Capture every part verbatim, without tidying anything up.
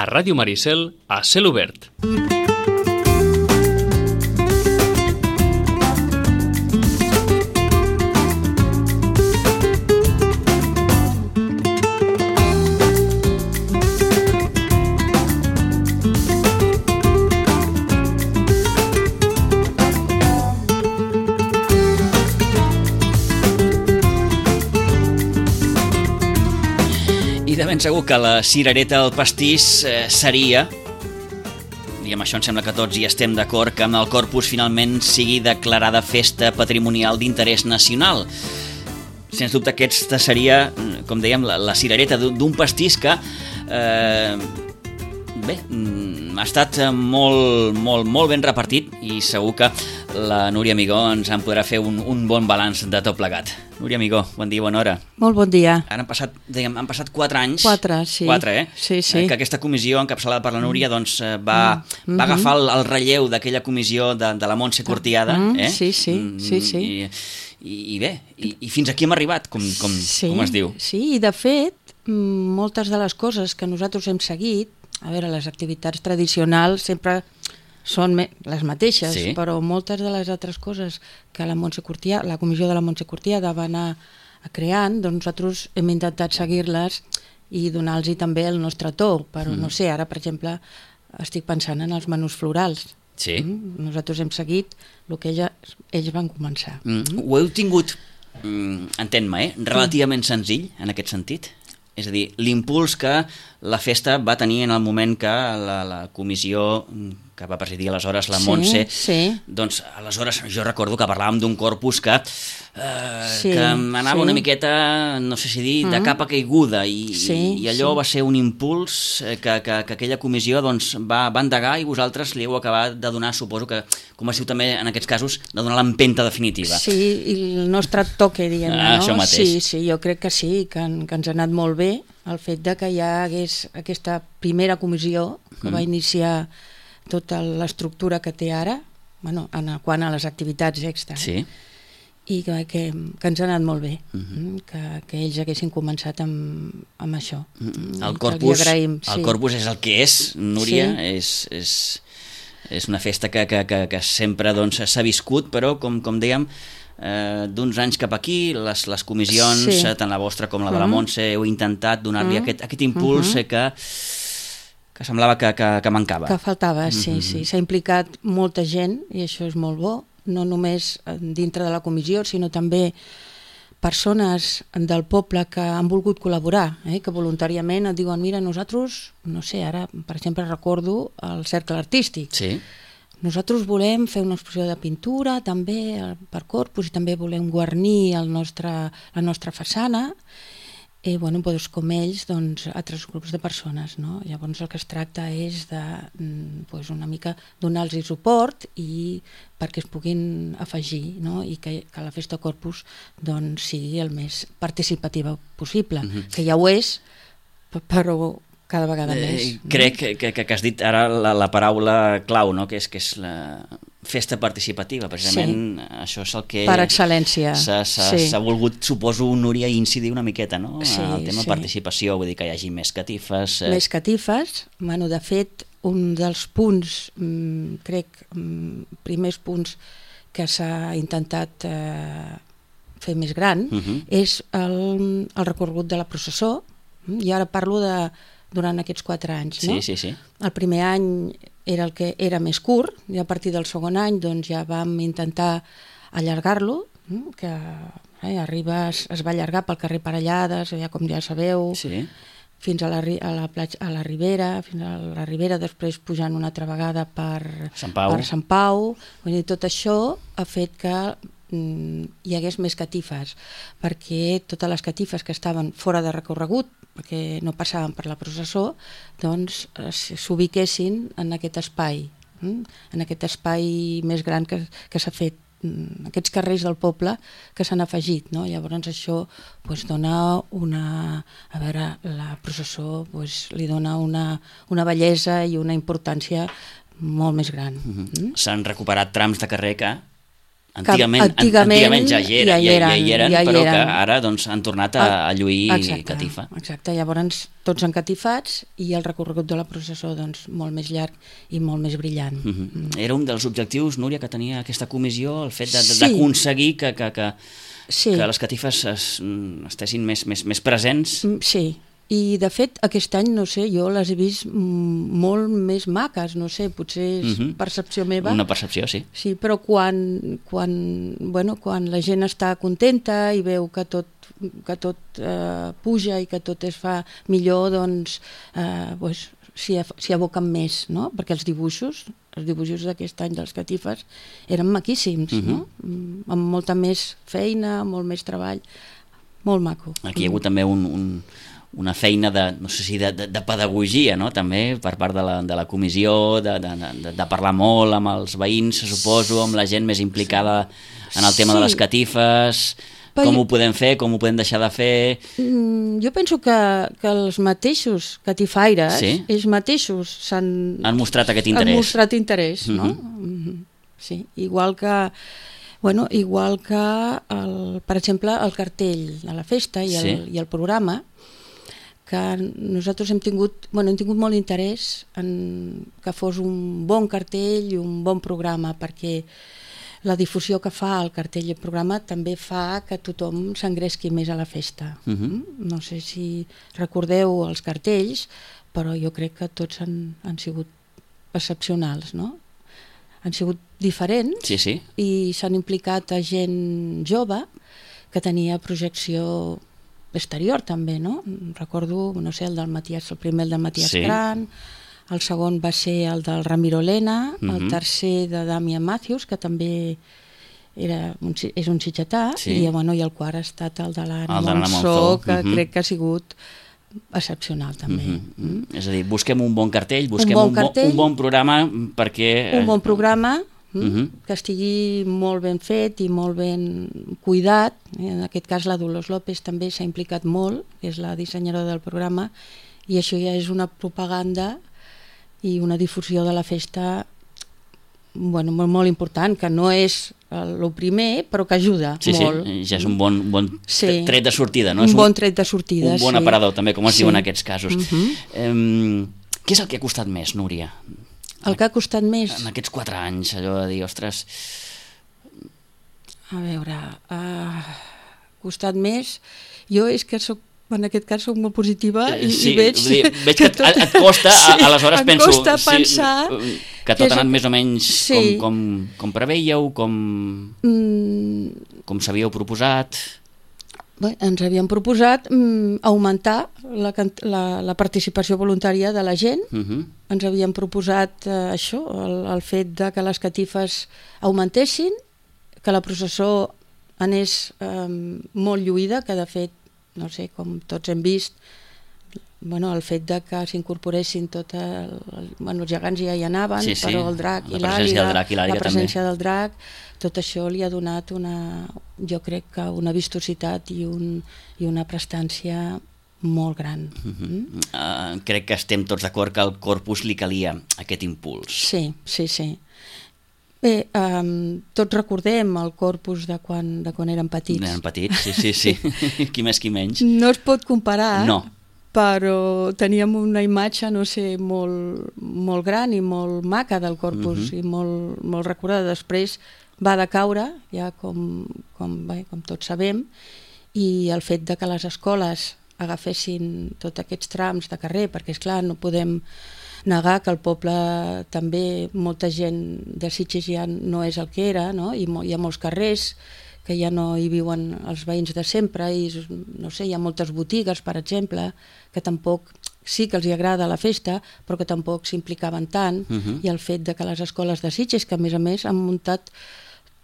a Ràdio Maricel, a Cel Obert. Ben segur que la cirereta del pastís eh, seria, i amb això em sembla que tots hi estem d'acord, que amb el Corpus finalment sigui declarada festa patrimonial d'interès nacional. Sens dubte aquesta seria, com dèiem, la, la cirereta d'un pastís que eh, bé, ha estat molt, molt, molt ben repartit i segur que la Núria Amigó ens en podrà fer un, un bon balanç de tot plegat. Núria Amigó, bon dia, bona hora. Molt bon dia. Ara han passat, dèiem, han passat quatre anys. Quatre, sí. Quatre, eh? Sí, sí. Eh, que aquesta comissió encapçalada per la Núria doncs, va, mm. va agafar el, el relleu d'aquella comissió de, de la Montse Cortiada. Mm. Eh? Sí, sí, sí, sí. I, i, i bé, i, i fins aquí hem arribat, com, com, sí, com es diu. Sí, i de fet, moltes de les coses que nosaltres hem seguit, a veure, les activitats tradicionals sempre són les mateixes, sí. Però moltes de les altres coses que la Montse Cortiada, la comissió de la Montse Cortiada va anar creant, doncs nosaltres hem intentat seguir-les i donar-los també el nostre to, però mm. no sé, ara per exemple estic pensant en els menús florals. Sí. Mm? Nosaltres hem seguit el que ells, ells van començar. Mm. Mm. Ho heu tingut, mm, entén-me, eh? relativament senzill en aquest sentit? És a dir, l'impuls que la festa va tenir en el moment que la, la comissió que va presidir aleshores la Montse, sí, sí. Doncs aleshores jo recordo que parlàvem d'un corpus que, eh, sí, que anava sí. una miqueta, no sé si dir, de mm. capa caiguda i, sí, i allò sí. va ser un impuls que, que, que aquella comissió doncs, va, va endegar i vosaltres li heu acabat de donar, suposo que, com es diu també en aquests casos, de donar l'empenta definitiva. Sí, i el nostre toque, diguem-ne, ah, no? Això mateix. Sí, sí, jo crec que sí, que, que ens ha anat molt bé el fet de que hi hagués aquesta primera comissió que mm. va iniciar tota l'estructura que té ara, bueno, en quant a les activitats extra, sí. i que, que, que ens ha anat molt bé, mm-hmm. que, que ells haguessin començat amb, amb això. Mm-hmm. El corpus, agraïm, el sí. corpus és el que és, Núria, sí. és, és, és una festa que, que, que, que sempre doncs, s'ha viscut, però com, com dèiem, eh, d'uns anys cap aquí, les, les comissions, sí. tant la vostra com la de la Montse, heu intentat donar-li mm-hmm. aquest, aquest impuls mm-hmm. que... que semblava que, que, que mancava. Que faltava, sí, mm-hmm. sí. S'ha implicat molta gent, i això és molt bo, no només dintre de la comissió, sinó també persones del poble que han volgut col·laborar, eh, que voluntàriament et diuen, mira, nosaltres, no sé, ara, per exemple, recordo el cercle artístic. Sí. Nosaltres volem fer una exposició de pintura, també per Corpus, i també volem guarnir el nostre, la nostra façana, i bueno, doncs, com ells, doncs, altres grups de persones, no? Llavors el que es tracta és de doncs, una mica donar-los suport i perquè es puguin afegir, no? I que, que la Festa Corpus doncs, sigui el més participativa possible, mm-hmm. que ja ho és, però cada vegada eh, més. Crec no? que, que, que has dit ara la, la paraula clau, no? que, és, que és la festa participativa, precisament sí. Això és el que... Per excel·lència. S'ha sí. volgut, suposo, Núria, incidir una miqueta, no? Sí, el tema sí. participació, vull dir que hi hagi més catifes... Eh... Més catifes, bueno, de fet, un dels punts, mmm, crec, mmm, primers punts que s'ha intentat eh, fer més gran, uh-huh. és el, el recorregut de la processó, i ara parlo de durant aquests quatre anys, no? Sí, sí, sí. El primer any era el que era més curt, i a partir del segon any doncs, ja vam intentar allargar-lo, que eh, arriba, es, es va allargar pel carrer Parellades, ja com ja sabeu, sí. fins a la, a, la platja, a la Ribera, fins a la Ribera, després pujant una altra vegada per Sant Pau. Per Sant Pau. Vull dir, tot això ha fet que mm, hi hagués més catifes, perquè totes les catifes que estaven fora de recorregut, perquè no passaven per la processó, doncs s'ubiquessin en aquest espai, en aquest espai més gran que, que s'ha fet, aquests carrers del poble que s'han afegit, no? Llavors això pues, dona una... A veure, la processó pues, li dona una, una bellesa i una importància molt més gran. Mm-hmm. Mm? S'han recuperat trams de carrer que Antigament, antigament, antigament ja hi, era, ja hi ja, eren, ja hi eren, ja hi però eren. que ara doncs, han tornat a, a lluir exacte, catifa. Exacte, llavors tots encatifats i el recorregut de la processó doncs, molt més llarg i molt més brillant. Uh -huh. mm. Era un dels objectius, Núria, que tenia aquesta comissió, el fet Sí. d'aconseguir que, que, que, Sí. que les catifes es, estessin més, més, més presents. Mm, Sí, i de fet aquest any, no sé, jo les he vist mm, molt més maques, no sé, potser és Uh-huh. percepció meva. Una percepció, sí. Sí, però quan, quan, bueno, quan la gent està contenta i veu que tot, que tot eh, puja i que tot es fa millor, doncs eh, pues, s'hi s'hi aboquen més, no? Perquè els dibuixos, els dibuixos d'aquest any dels catifes eren maquíssims, Uh-huh. no? Mm, amb molta més feina, molt més treball, molt maco. Aquí hi ha hagut també un, un, una feina de, no sé si de, de, de pedagogia, no? També per part de la, de la comissió, de, de, de, de parlar molt amb els veïns, se suposo, amb la gent més implicada en el tema Sí. de les catifes, Però com jo- ho podem fer, com ho podem deixar de fer... Mm, jo penso que, que els mateixos catifaires, Sí. ells mateixos s'han Han mostrat aquest interès. han mostrat interès, no? Mhm. Mhm. Sí, igual que bueno, igual que el, per exemple el cartell de la festa i el, Sí. i el programa, que nosaltres hem tingut, bueno, hem tingut molt interès en que fos un bon cartell i un bon programa, perquè la difusió que fa el cartell i el programa també fa que tothom s'engresqui més a la festa. Mhm. No sé si recordeu els cartells, però jo crec que tots han, han sigut excepcionals, no? Han sigut diferents Sí, sí. i s'han implicat a gent jove que tenia projecció exterior també, no? Recordo, no sé, el del Matías, el primer el del Matías Sí. Cran, el segon va ser el del Ramiro Lena, Mhm. el tercer de Damian Matthews, que també era un, si- és un sitgetà, Sí. i, bueno, i el quart ha estat el de l'Anna El de l'Anna Monzó, Monzó, que mhm. crec que ha sigut excepcional també. Mhm. Mm? És a dir, busquem un bon cartell, busquem bon un, bo, cartell. un bon programa perquè... Un bon programa mm, Mhm. que estigui molt ben fet i molt ben cuidat. En aquest cas la Dolors López també s'ha implicat molt, que és la dissenyadora del programa, i això ja és una propaganda i una difusió de la festa, bueno, molt, molt important, que no és el primer, però que ajuda Sí, molt. sí, ja és un bon, bon Sí. tret de sortida, no? Un És bon tret de sortida, un bon sí. aparador, també, com es Sí. diu en aquests casos. Mhm. Em, què és el que ha costat més, Núria? El que ha costat més... En aquests quatre anys, allò de dir, ostres... A veure, ha costat més... Jo és que soc, en aquest cas soc molt positiva i, Eh, sí, i veig, vull dir, veig que, et, et costa, Sí, a, aleshores em penso... costa pensar sí, que que tot és- ha anat més o menys Sí. com, com, com preveieu, com, Mm, com s'havíeu proposat... bé, ens havíem proposat mm, augmentar la, cant- la, la participació voluntària de la gent. Uh -huh. Ens havíem proposat eh, això, el, el fet de que les catifes augmentessin, que la processó anés eh, molt lluïda, que de fet, no sé, com tots hem vist, bueno, el fet de que s'incorporessin tot el, el, bueno, els gegants ja hi anaven, Sí, sí, però el drac la i presència l'àliga, del drac i l'àliga la també. presència del drac, tot això li ha donat una, jo crec que una vistositat i, un, i una prestància molt gran. Mm? Uh, crec que estem tots d'acord que al corpus li calia aquest impuls. Sí, sí, sí. Bé, um, tots recordem el corpus de quan, de quan érem petits. Eren petits, sí, sí, sí. Qui més, qui menys. No es pot comparar, No. però teníem una imatge, no sé, molt, molt gran i molt maca del corpus, Mhm. i molt, molt recordada. Després va decaure, ja com, com, bé, com tots sabem, i el fet de que les escoles agafessin tots aquests trams de carrer, perquè és clar, no podem negar que el poble també, molta gent de Sitges ja no és el que era, no? I mo- hi ha molts carrers que ja no hi viuen els veïns de sempre, i no sé, hi ha moltes botigues, per exemple, que tampoc, sí que els hi agrada la festa, però que tampoc s'implicaven tant, Mhm. i el fet de que les escoles de Sitges, que a més a més han muntat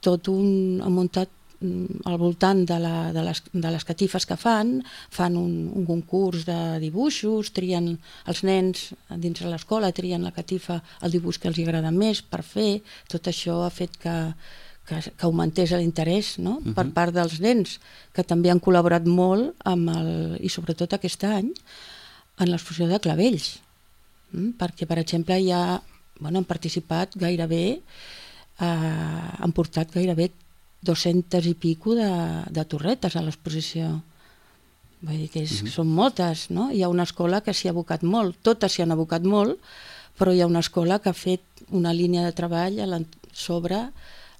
tot un... han muntat mm, al voltant de, la, de, les, de les catifes que fan, fan un, un concurs de dibuixos, trien els nens dins de l'escola, trien la catifa, el dibuix que els hi agrada més per fer. Tot això ha fet que, que, que augmentés l'interès, no? Mhm. Per part dels nens, que també han col·laborat molt amb el, i sobretot aquest any en l'exposició de clavells, mm? Perquè per exemple ja, bueno, han participat gairebé, eh, han portat gairebé dos-centes i pico de, de torretes a l'exposició. Vull dir que és, Mhm. són moltes, no? Hi ha una escola que s'hi ha abocat molt, totes s'hi han abocat molt, però hi ha una escola que ha fet una línia de treball a l'en- sobre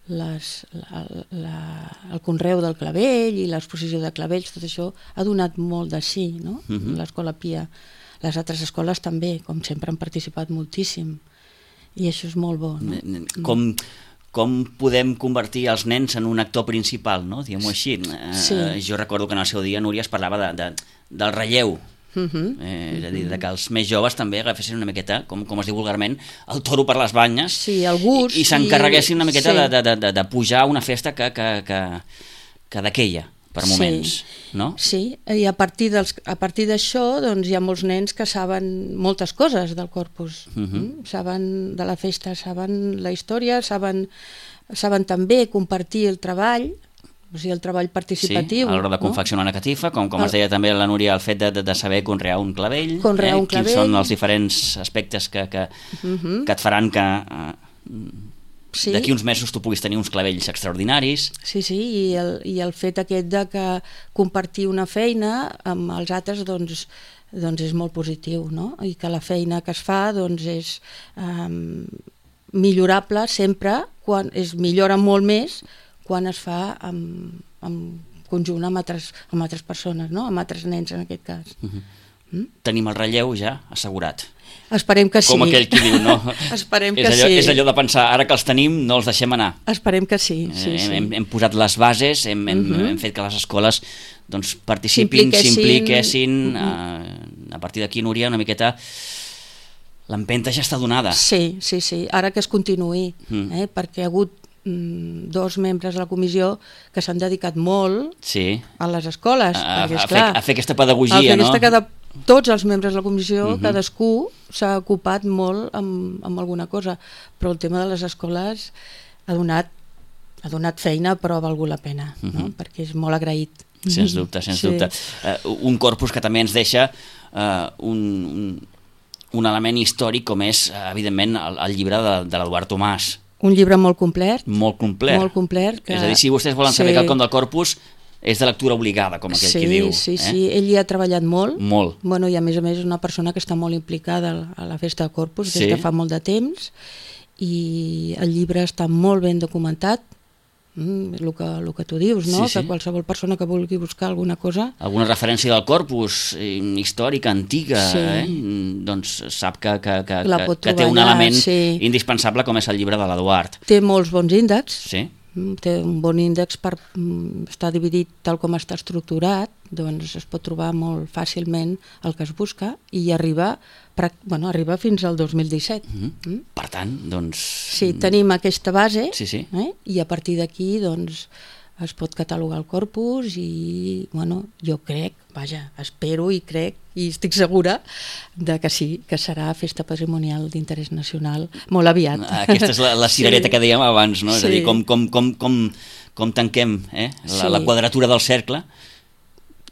les, la, la, el conreu del clavell i l'exposició de clavells, tot això ha donat molt de sí, no? Mhm. L'Escola Pia. Les altres escoles també, com sempre, han participat moltíssim. I això és molt bo, no? Com, com podem convertir els nens en un actor principal, no? Diguem-ho així. Sí. Eh, jo recordo que en el seu dia, Núria, es parlava de, de, del relleu. Mhm. Eh, és a dir, de que els més joves també agafessin una miqueta, com, com es diu vulgarment, el toro per les banyes, Sí, el gust i, i s'encarreguessin una miqueta i- de, de, de, de pujar a una festa que, que, que, que d'aquella, per Sí. moments, no? Sí, i a partir dels, a partir d'això doncs, hi ha molts nens que saben moltes coses del corpus. Mhm. Mm? Saben de la festa, saben la història, saben, saben també compartir el treball, o sigui, el treball Sí, participatiu. a l'hora de no? confeccionar una catifa, com, com El- es deia també la Núria, el fet de, de, de saber conrear un clavell, Conrear un quins clavell. són els diferents aspectes que, que, Mhm. que et faran que eh, Sí. d'aquí uns mesos tu puguis tenir uns clavells extraordinaris. Sí, sí, i el, i el fet aquest de que compartir una feina amb els altres doncs, doncs és molt positiu, no? I que la feina que es fa doncs és um, millorable sempre, quan es millora molt més quan es fa en, en conjunt amb altres, amb altres persones, no? Amb altres nens en aquest cas. Tenim el relleu ja assegurat. Esperem que sí. Com aquell qui diu, no? Esperem que és allò, sí. És allò de pensar, ara que els tenim, no els deixem anar. Esperem que sí, sí, Eh, sí. hem, hem posat les bases, hem, hem, Mhm. hem fet que les escoles doncs, participin, S'impliquessin. s'impliquessin. Mhm. eh, a partir d'aquí, Núria, una miqueta l'empenta ja està donada. Sí, sí, sí, ara que es continuï, Mm. eh, perquè ha hagut mm, dos membres de la comissió que s'han dedicat molt Sí, a les escoles, a, a, perquè, a, fer, esclar, a fer aquesta pedagogia, a fer no? aquesta cada, tots els membres de la comissió, Mhm. cadascú s'ha ocupat molt amb, amb alguna cosa, però el tema de les escoles ha donat, ha donat feina, però ha valgut la pena, no? Mhm. Perquè és molt agraït. Sens dubte, sens Sí. dubte. Uh, un corpus que també ens deixa uh, un, un, un element històric com és, uh, evidentment, el, el llibre de, de l'Eduard Tomàs. Un llibre molt complet, Molt complet. molt complet. Que... És a dir, si vostès volen saber Sí. quelcom del corpus, és de lectura obligada, com aquell sí, qui diu. Sí, eh? sí, ell hi ha treballat molt. Molt. Bueno, i a més a més és una persona que està molt implicada a la festa de Corpus des Sí. de fa molt de temps, i el llibre està molt ben documentat, mm, el, que, el que tu dius, no? Sí, sí. Que qualsevol persona que vulgui buscar alguna cosa Alguna referència del corpus eh, històrica, antiga, Sí. eh? doncs sap que, que, que, La que, pot que té trobar un allà, element sí. indispensable com és el llibre de l'Eduard. té molts bons índexs, Sí? mm, té un bon índex per mm, estar dividit tal com està estructurat, doncs es pot trobar molt fàcilment el que es busca i arriba, prac- bueno, arriba fins al dos mil disset. Mhm. Mm? Per tant, doncs... Sí, tenim aquesta base, Sí, sí. eh? I a partir d'aquí doncs, es pot catalogar el corpus i bueno, jo crec, vaja, espero i crec i estic segura de que sí, que serà festa patrimonial d'interès nacional molt aviat. Aquesta és la, la cirereta Sí. que dèiem abans, no? És a Sí. dir, com, com, com, com, com tanquem eh? la, Sí. la quadratura del cercle.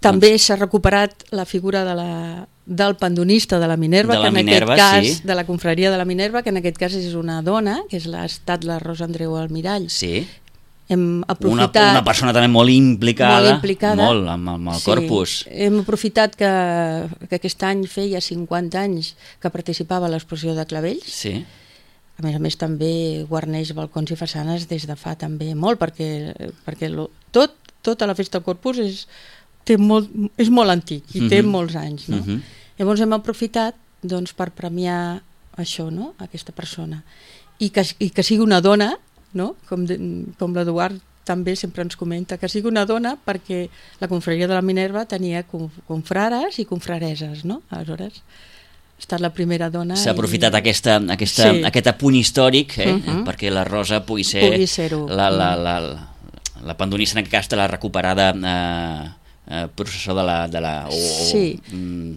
També s'ha recuperat la figura de la, del pandonista de la Minerva, De la que en Minerva, aquest cas, sí. de la confraria de la Minerva, que en aquest cas és una dona, que és la, ha estat la Rosa Andreu Almirall. Sí. Hem Una, aprofitat... una persona també molt implicada, molt implicada. molt amb, amb el corpus. Hem aprofitat que, que aquest any feia cinquanta anys que participava a l'exposició de clavells. Sí. A més a més també guarneix balcons i façanes des de fa també molt, perquè, perquè lo, tot, tota la festa del Corpus és, té molt, és molt antic i té Mhm. molts anys. No? Mhm. Llavors hem aprofitat doncs, per premiar això, no? Aquesta persona. I que, i que sigui una dona, no? com, de, com l'Eduard també sempre ens comenta, que sigui una dona perquè la confraria de la Minerva tenia com, confrares i confrareses, no? Aleshores ha estat la primera dona. S'ha aprofitat i... aquesta, aquesta, Sí. aquest apunt històric eh? Mhm. perquè la Rosa pugui ser Pugui ser-ho. la, la, la, la, la pandonista, en aquest cas, de la recuperada eh, eh, processó de la... De la o, Sí. o, mm,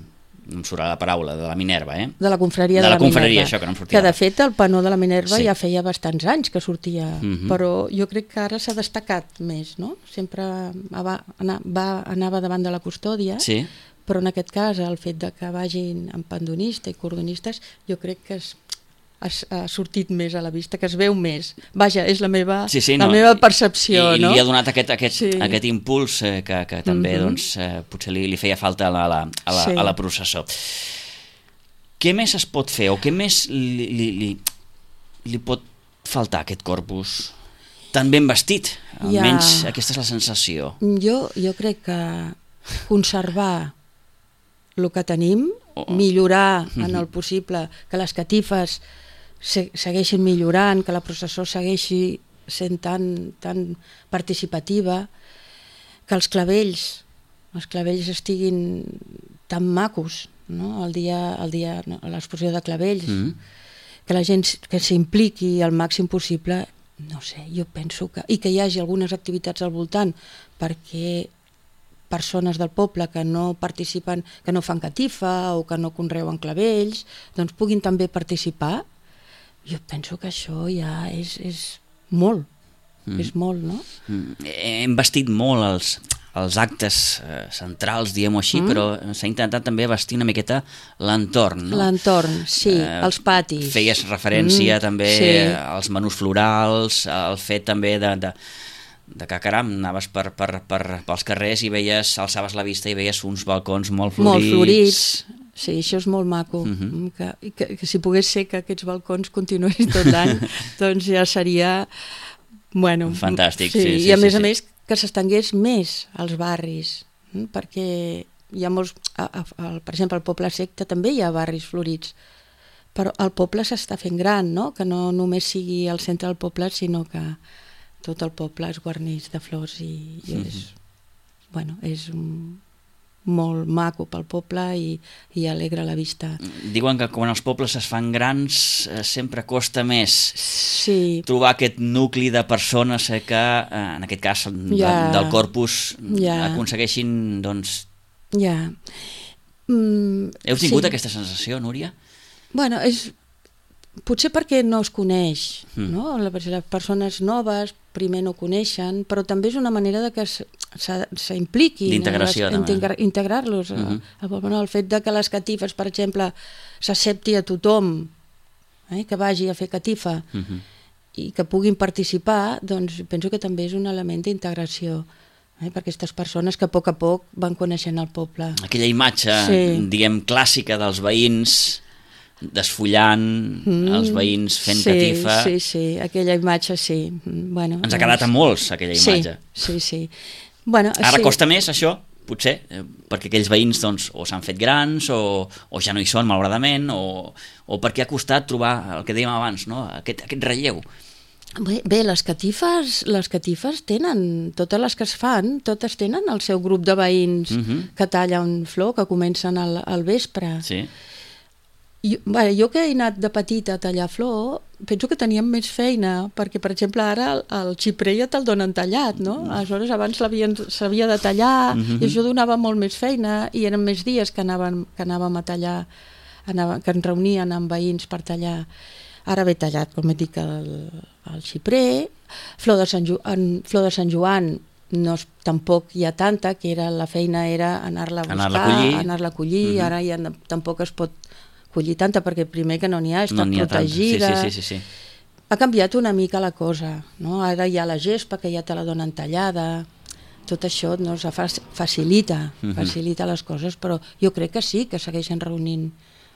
no em surt la paraula, de la Minerva, eh? De la confraria De de, la la, confraria, Minerva. això, que no em sortia Que de ara. fet el panó de la Minerva Sí. ja feia bastants anys que sortia, Mhm. però jo crec que ara s'ha destacat més, no? Sempre va, anar, va, anava davant de la custòdia, Sí. però en aquest cas el fet de que vagin amb pandonista i cordonistes jo crec que es, ha, ha sortit més a la vista, que es veu més. Vaja, és la meva, sí, sí, la no. meva percepció. I, no? I li ha donat aquest, aquest, sí. aquest impuls eh, que, que també mm-hmm. doncs, eh, potser li, li feia falta a la, a la, a la, sí. a la processó. Què més es pot fer o què més li, li, li, li pot faltar a aquest corpus tan ben vestit? Almenys ja. Aquesta és la sensació. Jo, jo crec que conservar el que tenim, oh. millorar en el possible, que les catifes se, segueixin millorant, que la processó segueixi sent tan, tan participativa, que els clavells, els clavells estiguin tan macos, no? el dia, el dia, no? l'exposició de clavells, mm. que la gent que s'impliqui al màxim possible, no sé, jo penso que... I que hi hagi algunes activitats al voltant perquè persones del poble que no participen, que no fan catifa o que no conreuen clavells, doncs puguin també participar. Jo penso que això ja és, és molt, mm. és molt, no? Mm. Hem vestit molt els, els actes eh, centrals, diguem-ho així, mm. però s'ha intentat també vestir una miqueta l'entorn, no? L'entorn, sí, eh, els patis. Feies referència mm. també sí. als menús florals, al fet també de... de de que, caram, anaves per, per, per, pels carrers i veies, alçaves la vista i veies uns balcons molt florits. Molt florits, sí, això és molt maco. Uh-huh. que, que, que si pogués ser que aquests balcons continuessin tot l'any, doncs ja seria... Bueno, fantàstic, sí, sí, sí. I a sí, més sí. a més que s'estengués més als barris, perquè hi ha molts... A, a, a, per exemple, al Poble Sec també hi ha barris florits, però el poble s'està fent gran, no? Que no només sigui el centre del poble, sinó que tot el poble es guarneix de flors i, i és, mm-hmm. bueno, és molt maco pel poble i, i alegra la vista. Diuen que quan els pobles es fan grans eh, sempre costa més sí. trobar aquest nucli de persones eh, que, eh, en aquest cas de, ja. del corpus, ja. aconsegueixin, doncs... Ja. Mm, Heu tingut sí. aquesta sensació, Núria? Bueno, és... Potser perquè no es coneix, mm. no? Les persones noves primer no coneixen, però també és una manera de que s'impliquin, d'integració, integra, integrar-los. Mm-hmm. el, el fet de que les catifes, per exemple, s'accepti a tothom eh, que vagi a fer catifa mm-hmm. i que puguin participar, doncs penso que també és un element d'integració eh, per aquestes persones que a poc a poc van coneixent el poble. Aquella imatge, sí. diguem, clàssica dels veïns desfullant, mm, els veïns fent sí, catifa. Sí, sí, aquella imatge sí. Bueno, ens ha quedat a molts, aquella imatge. Sí, sí, sí. Bueno, Ara sí. costa més això, potser, eh, perquè aquells veïns doncs, o s'han fet grans o, o ja no hi són, malauradament, o, o perquè ha costat trobar el que dèiem abans, no? aquest, aquest relleu. Bé, bé, les catifes, les catifes tenen, totes les que es fan, totes tenen el seu grup de veïns uh-huh. que tallen flor, que comencen al, al vespre. Sí. Jo, bé, jo que he anat de petita a tallar flor, penso que teníem més feina, perquè, per exemple, ara el, el xiprer ja te'l donen tallat, no? Aleshores, abans s'havia de tallar, mm-hmm. i això donava molt més feina, i eren més dies que anàvem, que anàvem a tallar, anàvem, que ens reunien amb veïns per tallar. Ara ve tallat, com he dit, el, el xiprer, flor de Sant, Jo, en, flor de Sant Joan, no, tampoc hi ha tanta, que era, la feina era anar-la a buscar, anar-la a collir, anar-la a collir mm-hmm. ara ja no, tampoc es pot collir tanta, perquè primer que no n'hi ha, està no protegida. Sí, sí, sí, sí. Ha canviat una mica la cosa, no? Ara hi ha la gespa, que ja te la donen tallada, tot això no, facilita, mm-hmm. facilita les coses, però jo crec que sí, que segueixen reunint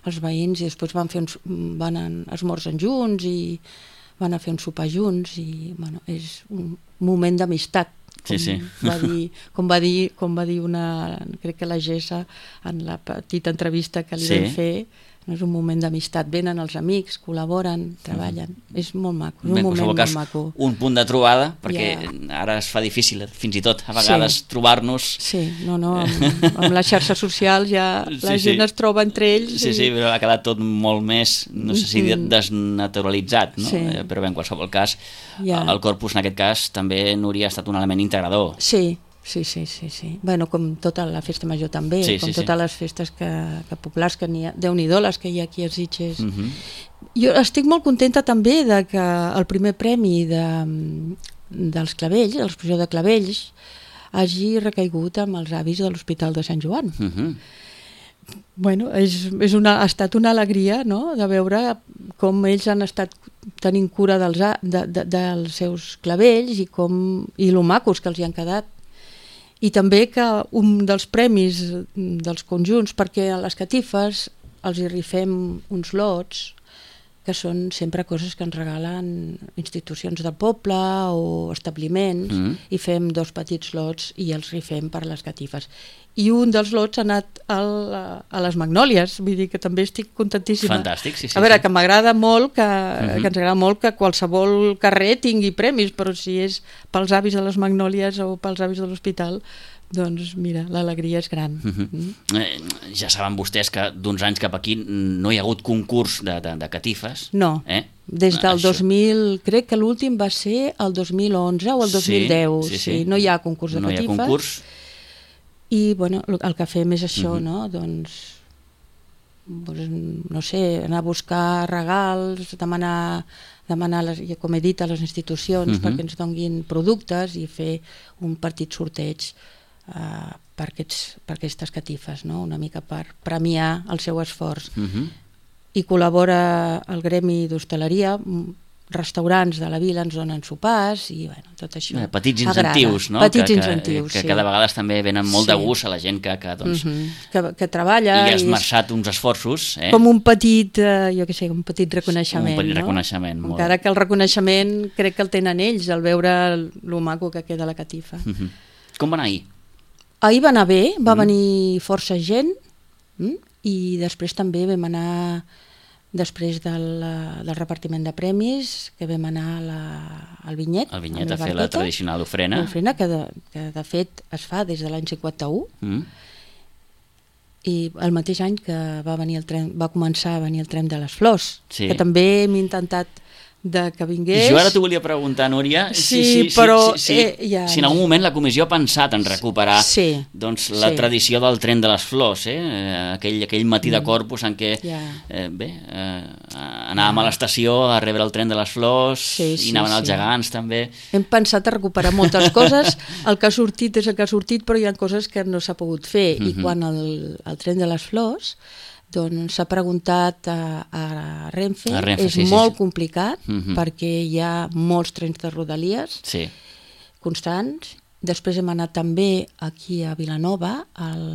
els veïns i després van fer uns, van a, esmorzen junts i van a fer un sopar junts i bueno, és un moment d'amistat. Com, sí, sí. va dir, com, va dir, com va dir una, crec que la Gessa en la petita entrevista que li sí. vam fer, no és un moment d'amistat, venen els amics, col·laboren, treballen, mm. és molt maco, és un ben, moment molt cas, maco. Un punt de trobada, perquè yeah. ara es fa difícil, fins i tot a vegades sí. trobar-nos. Sí, no, no, amb, amb les xarxes socials ja sí, la gent sí. es troba entre ells. Sí, i... sí, però ha quedat tot molt més, no sé si mm. desnaturalitzat, no? Sí. Però bé, en qualsevol cas, yeah. el corpus en aquest cas també, Núria, ha estat un element integrador. Sí, Sí, sí, sí, sí. Bueno, com tota la festa major també, sí, com sí, totes sí. les festes que, que populars que n'hi ha, Déu-n'hi-do les que hi ha aquí a Sitges. Uh-huh. Jo estic molt contenta també de que el primer premi de, dels clavells, de l'exposició de clavells, hagi recaigut amb els avis de l'Hospital de Sant Joan. Uh-huh. bueno, és, és una, ha estat una alegria, no?, de veure com ells han estat tenint cura dels, de, de, dels seus clavells i, com, i lo macos que els hi han quedat. I també que un dels premis dels conjunts, perquè a les catifes els hi rifem uns lots que són sempre coses que ens regalen institucions del poble o establiments, mm. i fem dos petits lots i els rifem per les catifes. I un dels lots ha anat al, a les Magnòlies, vull dir que també estic contentíssima. Fantàstic, sí, sí. A veure, sí. que m'agrada molt que, mm-hmm. que ens agrada molt que qualsevol carrer tingui premis, però si és pels avis de les Magnòlies o pels avis de l'hospital, doncs mira, l'alegria és gran. Mm-hmm. mm. Eh, ja saben vostès que d'uns anys cap aquí no hi ha hagut concurs de, de, de catifes. No, eh? Des del Això. dos mil, crec que l'últim va ser el dos mil onze o el dos mil deu, sí, sí, sí. Sí, no hi ha concurs de no catifes. No hi ha concurs. I bueno, el que fem és això, mm-hmm. no? Doncs, doncs, no sé, anar a buscar regals, demanar, demanar les, com he dit, a les institucions mm-hmm. perquè ens donguin productes i fer un petit sorteig Uh, per, aquests, per aquestes catifes, no? Una mica per premiar el seu esforç. Uh-huh. I col·labora el gremi d'hostaleria, restaurants de la vila ens donen sopars i bueno, tot això eh, petits incentius, agrada. No? Petits que, incentius, que, que sí. cada vegada també venen molt sí. de gust a la gent que, que, doncs, uh-huh. que, que treballa i ha esmerçat uns esforços. Eh? Com un petit, eh, jo què sé, un petit reconeixement. Un petit no? reconeixement, molt Encara que el reconeixement crec que el tenen ells, al veure lo maco que queda la catifa. Uh-huh. Com va anar ahir? Ahir va anar bé, va mm. venir força gent mm? i després també vam anar, després del, del repartiment de premis, que vam anar a la, al Vinyet, al Vinyet a fer la tradicional ofrena. L'ofrena que, de, que de fet es fa des de l'any cinquanta-u mm. i el mateix any que va, venir el tren, va començar a venir el tren de les flors, sí. que també hem intentat de que vingués. I jo ara t'ho volia preguntar, Núria, sí, si, si, però, si, si, eh, ja... si en algun moment la comissió ha pensat en recuperar sí, doncs, la sí. tradició del tren de les flors, eh? aquell, aquell matí de Corpus en què ja. eh, bé, eh, anàvem ja. a l'estació a rebre el tren de les flors sí, sí, i anaven sí. els gegants també. Hem pensat a recuperar moltes coses, el que ha sortit és el que ha sortit, però hi ha coses que no s'ha pogut fer, mm-hmm. i quan el, el tren de les flors doncs s'ha preguntat a, a Renfe, a Renfe és sí, molt sí, sí. complicat mm-hmm. perquè hi ha molts trens de rodalies sí. constants. Després hem anat també aquí a Vilanova al,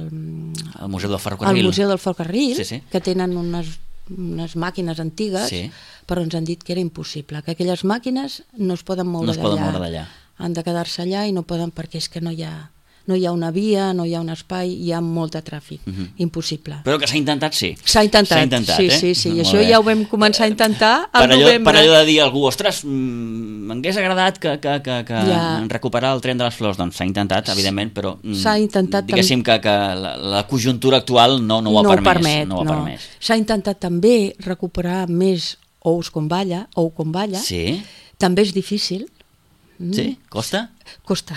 al Museu del Ferrocarril, al Museu del Ferrocarril sí, sí. que tenen unes, unes màquines antigues, sí. però ens han dit que era impossible, que aquelles màquines no es poden moure no es poden moure d'allà, han de quedar-se allà i no poden perquè és que no hi ha no hi ha una via, no hi ha un espai, hi ha molt de tràfic, uh-huh. impossible. Però que s'ha intentat, sí. S'ha intentat, intentat sí, eh? sí, sí, i molt això bé. Ja ho vam començar a intentar al per allò, novembre. Per allò de dir a algú, ostres, m'hagués agradat que, que, que, que ja. recuperar el tren de les flors, doncs s'ha intentat, evidentment, però s'ha intentat diguéssim que, que la, la conjuntura actual no, no ho ha no permès. Permet, no ho ha no. permès. S'ha intentat també recuperar més ous com balla, ou com balla, sí. també és difícil. Mm. Sí? Costa? Costa.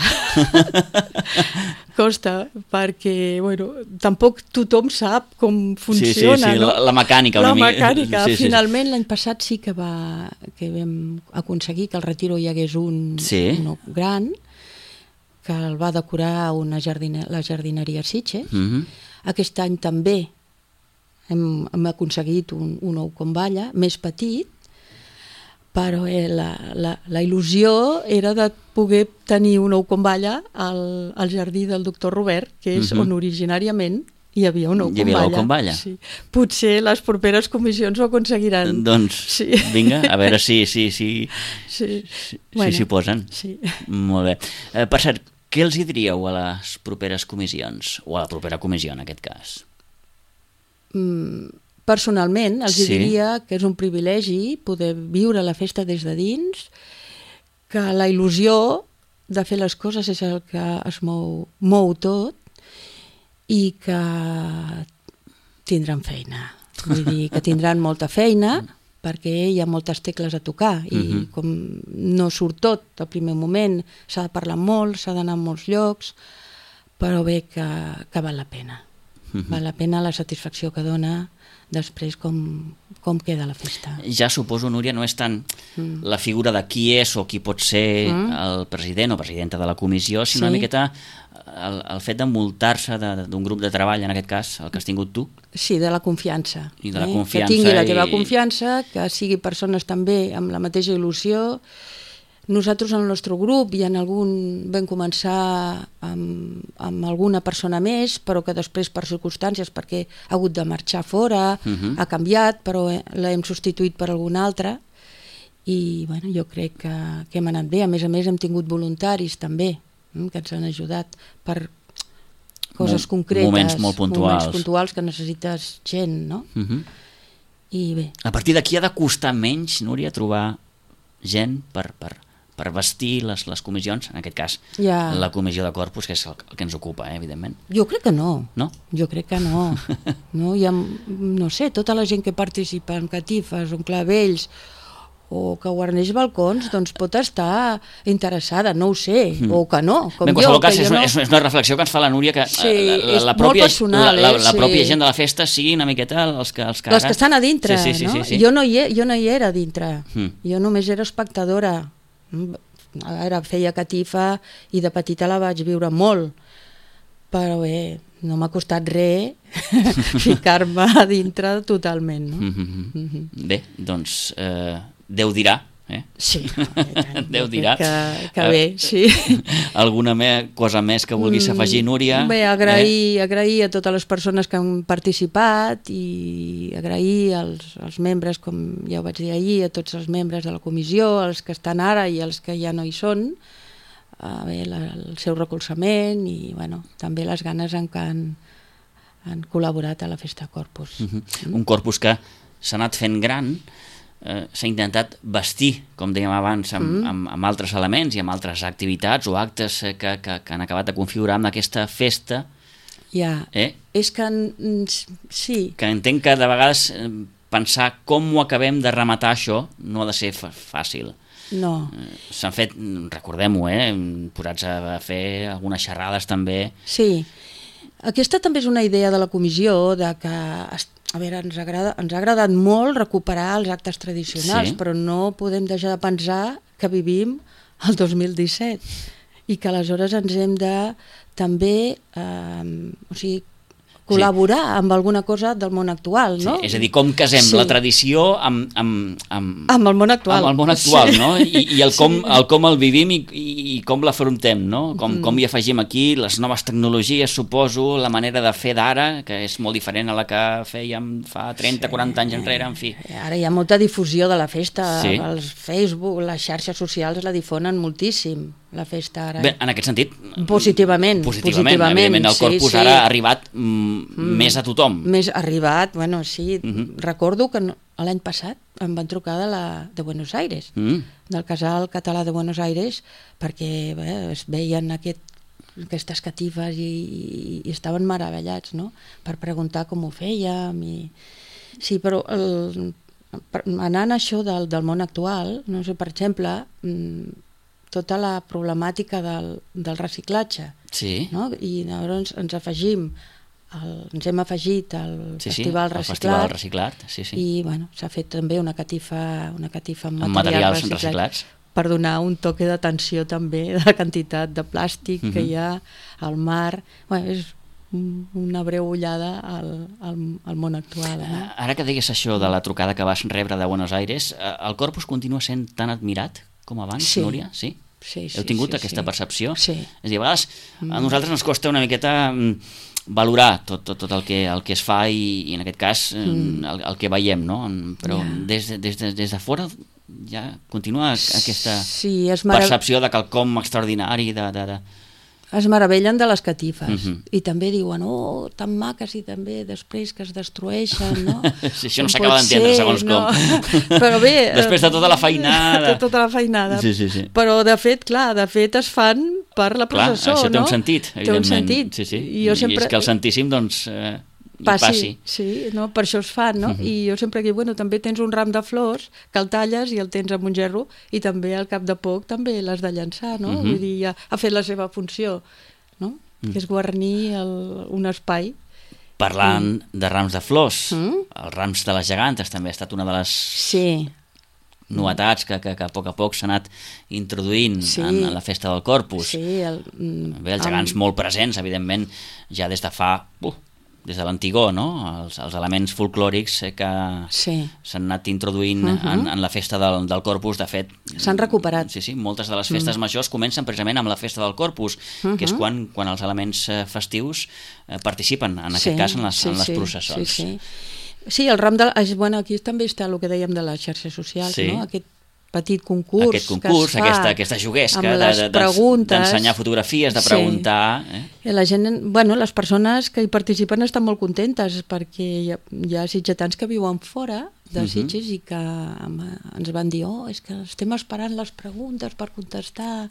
Costa, perquè, bueno, tampoc tothom sap com funciona, sí, sí, sí. no? La, la mecànica. La una mecànica. Sí, sí, Finalment, sí. L'any passat sí que, va, que vam aconseguir que al Retiro hi hagués un, sí. un gran, que el va decorar una jardine, la jardineria Sitges. Mm-hmm. Aquest any també hem, hem aconseguit un, un ou com balla, més petit, però eh, la, la, la il·lusió era de poder tenir un ou com balla al, al jardí del doctor Robert, que és mm-hmm. on originàriament hi havia un ou hi havia com balla. Sí. Potser les properes comissions ho aconseguiran. Doncs sí. Vinga, a veure si si, si, sí. si, bueno, si s'hi posen. Sí. Molt bé. Eh, per cert, què els hi diríeu a les properes comissions? O a la propera comissió, en aquest cas? Mm, personalment, els sí. diria que és un privilegi poder viure la festa des de dins, que la il·lusió de fer les coses és el que es mou, mou tot, i que tindran feina. Vull dir, que tindran molta feina, perquè hi ha moltes tecles a tocar, i uh-huh. com no surt tot al primer moment, s'ha de parlar molt, s'ha d'anar a molts llocs, però bé que, que val la pena. Uh-huh. Val la pena la satisfacció que dona després com, com queda la festa. Ja suposo, Núria, no és tant mm. la figura de qui és o qui pot ser mm. el president o presidenta de la comissió, sinó sí. una miqueta el, el fet d'envoltar-se d'un grup de treball, en aquest cas, el que has tingut tu. Sí, de la confiança. I de la eh? confiança. Que tingui la teva i... confiança, que sigui persones també amb la mateixa il·lusió. Nosaltres, en el nostre grup, i en algun vam començar amb, amb alguna persona més, però que després, per circumstàncies, perquè ha hagut de marxar fora, uh -huh. ha canviat, però l'hem substituït per alguna altra, i bueno, jo crec que, que hem anat bé. A més a més, hem tingut voluntaris també, que ens han ajudat per coses concretes, moments molt puntuals, moments puntuals que necessites gent, no? Uh -huh. I bé. A partir d'aquí ha de costar menys, Núria, trobar gent per... per... per vestir les, les comissions, en aquest cas ja. La comissió de corpus, que és el, el que ens ocupa, eh, evidentment. Jo crec que no. No? Jo crec que no. no, hi ha, no sé, tota la gent que participa en catifes, en clavells, o que guarneix balcons, doncs pot estar interessada, no ho sé, mm. o que no, com Bé, en jo. qualsevol cas, que és, jo una, no... és una reflexió que ens fa la Núria, que sí, la, la, la, és pròpia, molt personal, la, la, eh? la pròpia sí. gent de la festa sigui una miqueta els que, els que, les ara... que estan a dintre, sí, sí, sí, no? sí, sí. Jo, no hi, jo no hi era a dintre, mm. jo només era espectadora. Ara feia catifa i de petita la vaig viure molt, però bé, no m'ha costat res ficar-me a dintre totalment, no? Mm-hmm. Mm-hmm. Bé, doncs eh, Déu dirà, eh? Sí, Déu dirà. Que, que bé, sí. Alguna me, cosa més que vulguis afegir, Núria? Bé, agrair, eh? agrair a totes les persones que han participat i agrair als, als membres, com ja ho vaig dir ahir, a tots els membres de la comissió, els que estan ara i els que ja no hi són, a bé, la, el seu recolzament i bueno, també les ganes en què han, han col·laborat a la Festa Corpus. Uh-huh. Mm. Un corpus que s'ha anat fent gran, eh, s'ha intentat vestir, com dèiem abans, amb, mm. amb, amb altres elements i amb altres activitats o actes que, que, que han acabat de configurar amb aquesta festa. Ja, eh? és que sí. Que entenc que de vegades pensar com ho acabem de rematar això no ha de ser fàcil. No. S'han fet, recordem-ho, eh, posats a fer algunes xerrades també. Sí, aquesta també és una idea de la comissió, de que, a veure, ens, agrada, ens ha agradat molt recuperar els actes tradicionals, sí. però no podem deixar de pensar que vivim el dos mil disset i que aleshores ens hem de també, eh, o sigui, col·laborar sí. amb alguna cosa del món actual, no? Sí, és a dir, com casem sí. la tradició amb, amb, amb, amb el món actual, amb el món actual sí. no? I, i el, com, sí. el com el vivim i, i com l'afrontem, no? Com, mm. com hi afegim aquí les noves tecnologies, suposo, la manera de fer d'ara, que és molt diferent a la que fèiem fa trenta o quaranta anys enrere, en fi. Ara hi ha molta difusió de la festa, sí. els Facebook, les xarxes socials la difonen moltíssim, la festa ara. Bé, en aquest sentit... Positivament. Positivament, positivament evidentment, el corpus sí, sí. ara ha arribat mm, mm, més a tothom. Més arribat, bueno, sí. Mm-hmm. Recordo que no, l'any passat em van trucar de, la, de Buenos Aires, mm. del Casal Català de Buenos Aires, perquè bé, es veien aquest, aquestes catifes i, i, i estaven meravellats, no?, per preguntar com ho fèiem. I... Sí, però el, anant a això del, del món actual, no sé, per exemple... tota la problemàtica del, del reciclatge. Sí. No? I llavors ens afegim, el, ens hem afegit al sí, Festival sí, Reciclat. Festival Reciclat, sí, sí. I bueno, s'ha fet també una catifa, una catifa amb, amb materials, materials reciclats. Per donar un toque d'atenció també de la quantitat de plàstic uh-huh. que hi ha al mar. Bueno, és una breu ullada al, al, al món actual. Eh? Ara que digues això de la trucada que vas rebre de Buenos Aires, el Corpus continua sent tan admirat com abans, sí. Núria? Sí? Sí, sí, Heu tingut sí, aquesta sí. percepció? Sí. És a dir, a vegades a nosaltres ens costa una miqueta valorar tot, tot, tot el, que, el que es fa i, i en aquest cas mm. el, el que veiem, no? Però yeah. des, des, de, des de fora ja continua aquesta sí, marav... percepció de quelcom extraordinari, de... de, de... Es meravellen de les catifes uh-huh. i també diuen, oh, tan maques i també després que es destrueixen, no? Sí, això no s'acaba d'entendre, segons no? com. Però bé... Després de tota la feinada. De tota la feinada. Sí, sí, sí. Però de fet, clar, de fet es fan per la processó, clar, això té no? un sentit, evidentment. Té un sentit. Sí, sí. I, jo sempre... I és que el santíssim, doncs... Eh... passi, passi. Sí, no? Per això es fan, no? Uh-huh. I jo sempre dic, bueno, també tens un ram de flors que el talles i el tens amb un gerro i també al cap de poc també l'has de llançar, no? Uh-huh. Vull dir, ja ha fet la seva funció, no? Uh-huh. Que és guarnir el, un espai Parlant mm. de rams de flors, mm. els rams de les gegantes també ha estat una de les sí. novetats que, que, que a poc a poc s'ha anat introduint sí. en, en la festa del Corpus. Sí, el, Bé, els gegants amb... molt presents, evidentment, ja des de fa... Uh, des de l'antigor, no? Els, els elements folclòrics que sí. s'han anat introduint uh -huh. en, en la festa del, del Corpus. De fet, s'han recuperat. Sí, sí, moltes de les festes mm. majors comencen precisament amb la festa del Corpus, uh -huh. que és quan, quan els elements festius eh, participen, en aquest sí, cas, en les, sí, en les sí, processons. Sí, sí. Sí, el ram de... Bueno, aquí també està el que dèiem de les xarxes socials, sí. no? Aquest petit concurs, aquest concurs, que es fa aquesta, aquesta juguesca d'ensenyar de, de, fotografies, de preguntar... Sí. Eh? La gent, bueno, les persones que hi participen estan molt contentes perquè hi ha, hi ha sitgetans que viuen fora de Sitges uh -huh. i que ens van dir oh, és que estem esperant les preguntes per contestar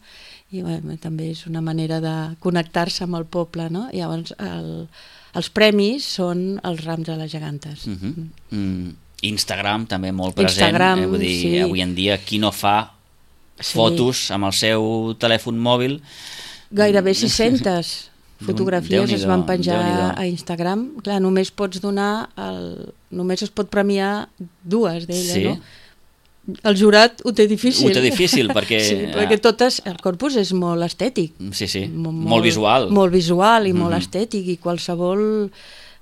i bueno, també és una manera de connectar-se amb el poble, no? I llavors el, els premis són els rams de les gegantes. Uh -huh. mm. Instagram també molt present, Instagram, eh? Vull dir, sí. avui en dia qui no fa sí. fotos amb el seu telèfon mòbil... Gairebé sis-centes fotografies es van penjar a Instagram. Clar, només pots donar, el... només es pot premiar dues d'elles, sí. no? El jurat ho té difícil. Ho té difícil perquè... sí, perquè totes, el corpus és molt estètic. Sí, sí, molt, molt visual. Molt visual i mm-hmm. molt estètic i qualsevol...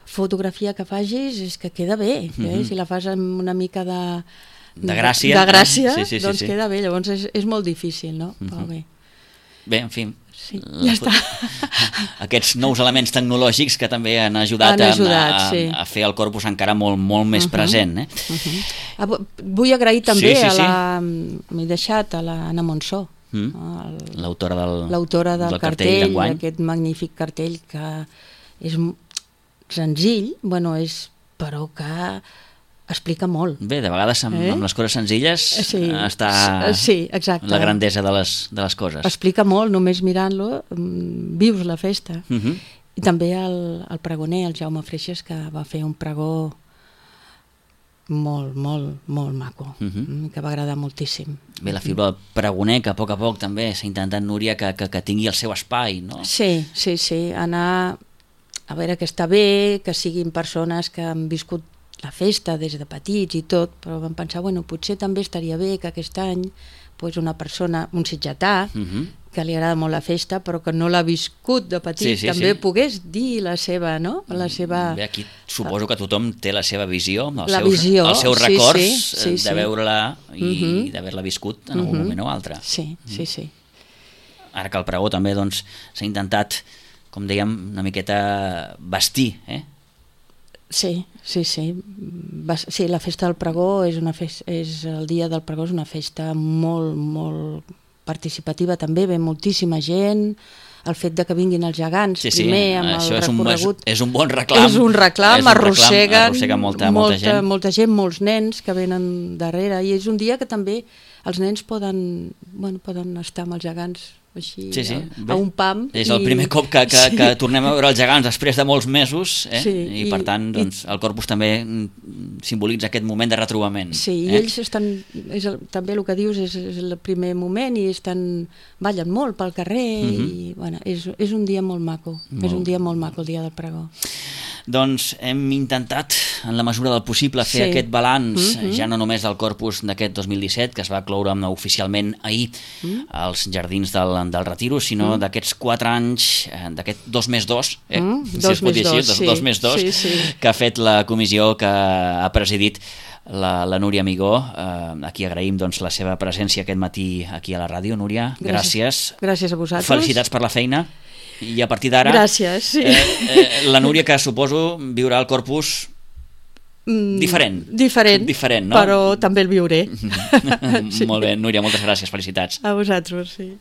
fotografia que facis és que queda bé, mm-hmm. eh? Si la fas amb una mica de de gràcia, de gràcia sí, sí, sí, doncs sí. queda bé, llavors és, és molt difícil, no? Mm-hmm. Però bé. Bé, en fi, sí, ja està. Aquests nous elements tecnològics que també han ajudat, han ajudat a, a, sí. a fer el corpus encara molt, molt més uh-huh. present. Eh? Uh-huh. Vull agrair també sí, sí, sí. a la... m'he deixat a l'Anna Monsó, mm. l'autora del, l'autora del, del cartell, cartell aquest magnífic cartell que és senzill, bueno, és, però que explica molt. Bé, de vegades amb, eh? amb les coses senzilles sí. està sí, exacte. la grandesa de les, de les coses. Explica molt, només mirant-lo vius la festa. Uh-huh. I també el, el pregoner, el Jaume Freixes, que va fer un pregó molt, molt, molt maco, uh-huh. que va agradar moltíssim. Bé, la figura del pregoner, que a poc a poc també s'ha intentat, Núria, que, que, que tingui el seu espai, no? Sí, sí, sí, anar a veure que està bé, que siguin persones que han viscut la festa des de petits i tot, però vam pensar, bueno, potser també estaria bé que aquest any pues, una persona, un sitgetà, uh-huh. que li agrada molt la festa, però que no l'ha viscut de petit, sí, sí, també sí. pogués dir la seva, no? La seva... Bé, aquí suposo que tothom té la seva visió, els la seus, visió, els seus sí, records sí, sí, de sí. veure-la i uh-huh. d'haver-la viscut en algun uh-huh. moment o altre. Sí, sí, sí. Ara que el pregó també doncs, s'ha intentat, com dèiem, una miqueta vestir, eh? Sí, sí, sí. Va, sí, la festa del pregó és una festa, és el dia del pregó és una festa molt, molt participativa també, ve moltíssima gent, el fet de que vinguin els gegants sí, sí, primer amb això el és recorregut. Un, és, és un bon reclam. És un reclam, és un arrosseguen, reclam, arrosseguen molta, molta, molta gent. Molta gent, molts nens que venen darrere i és un dia que també els nens poden, bueno, poden estar amb els gegants així, sí, sí. a, a un pam. És el i... primer cop que, que, sí. que tornem a veure els gegants després de molts mesos, eh? sí, i, i per tant doncs, i... el Corpus també simbolitza aquest moment de retrobament. Sí, eh? i ells estan, és el, també el que dius és, és el primer moment i estan, ballen molt pel carrer uh-huh. i bueno, és, és un dia molt maco, molt. És un dia molt maco el dia del pregó. Doncs hem intentat, en la mesura del possible, fer sí. aquest balanç, uh-huh. ja no només del Corpus d'aquest dos mil disset, que es va cloure oficialment ahir uh-huh. als Jardins del, del Retiro, sinó uh-huh. d'aquests quatre anys, d'aquest dos més dos, eh? uh-huh. si dos es pot dir així, dos, dos, sí. dos més dos, sí, sí. que ha fet la comissió que ha presidit la, la Núria Amigó. Eh, aquí agraïm doncs, la seva presència aquest matí aquí a la ràdio. Núria, gràcies. Gràcies, gràcies a vosaltres. Felicitats per la feina. I a partir d'ara gràcies, sí. eh, eh, la Núria, que suposo viurà el Corpus mm, diferent diferent, diferent no? Però també el viuré. Sí. Molt bé, Núria, moltes gràcies, felicitats a vosaltres, sí.